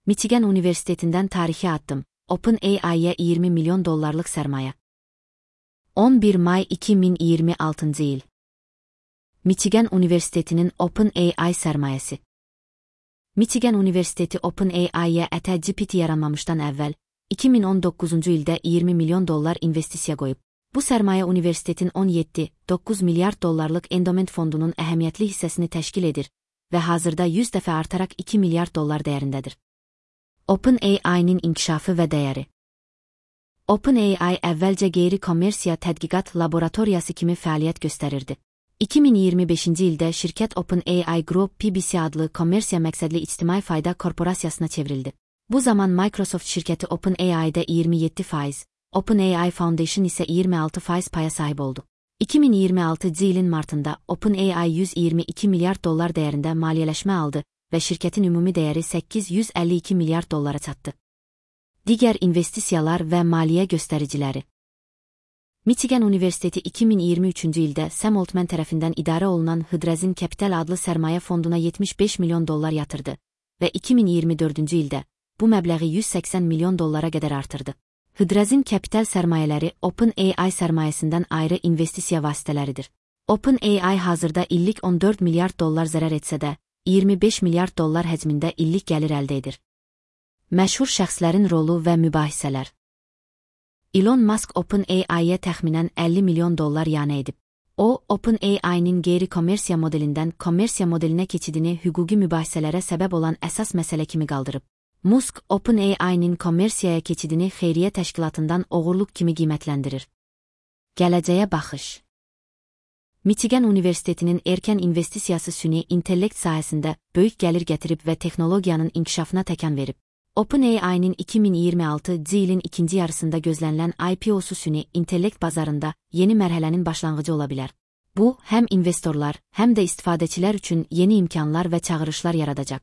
Michigan Üniversiteti'nden tarihi addım. OpenAI'ye $20 milyon sermaye. 11 May 2026 yıl. Michigan Üniversiteti'nin OpenAI sermayesi. Michigan Üniversiteti OpenAI'ye GPT yaranmamışdan əvvəl, 2019 ildə $20 milyon investisiya qoyub. Bu sərmayə universitetin 17,9 milyard dollarlıq endowment fondunun əhəmiyyətli hissəsini təşkil edir və hazırda 100 dəfə artaraq $2 milyard dəyərindədir. OpenAI'nin inkişafı və dəyəri. OpenAI əvvəlcə qeyri-kommersiya tədqiqat laboratoriyası kimi fəaliyyət göstərirdi. 2025-ci ildə şirkət OpenAI Group PBC adlı kommersiya məqsədli ictimai fayda korporasiyasına çevrildi. Bu zaman Microsoft şirkəti OpenAI'də 27%, OpenAI Foundation isə 26% paya sahib oldu. 2026 ilin martında OpenAI $122 milyard dəyərində maliyyələşmə aldı və şirkətin ümumi dəyəri $852 milyard çatdı. Digər investisiyalar və maliyyə göstəriciləri. Michigan Üniversiteti 2023-cü ildə Sam Altman tərəfindən idarə olunan Hydrazine Capital adlı sərmayə fonduna $75 milyon yatırdı və 2024-cü ildə bu məbləği $180 milyon qədər artırdı. Hydrazine Capital sərmayələri OpenAI sərmayəsindən ayrı investisiya vasitələridir. OpenAI hazırda illik $14 milyard zərər etsə də, $25 milyard həcmində illik gəlir əldə edir. Məşhur şəxslərin rolu və mübahisələr. Elon Musk OpenAI-yə təxminən $50 milyon yanə edib. O, OpenAI-nin qeyri-kommersiya modelindən kommersiya modelinə keçidini hüquqi mübahisələrə səbəb olan əsas məsələ kimi qaldırıb. Musk, OpenAI-nin kommersiyaya keçidini xeyriyyə təşkilatından oğurluq kimi qiymətləndirir. Gələcəyə baxış. Michigan Üniversitetinin erkən investisiyası süni intellekt sahəsində böyük gəlir gətirib və texnologiyanın inkişafına təkan verib. OpenAI-nin 2026 ilin ikinci yarısında gözlənilən IPO-su süni intellekt bazarında yeni mərhələnin başlanğıcı ola bilər. Bu, həm investorlar, həm də istifadəçilər üçün yeni imkanlar və çağırışlar yaradacaq.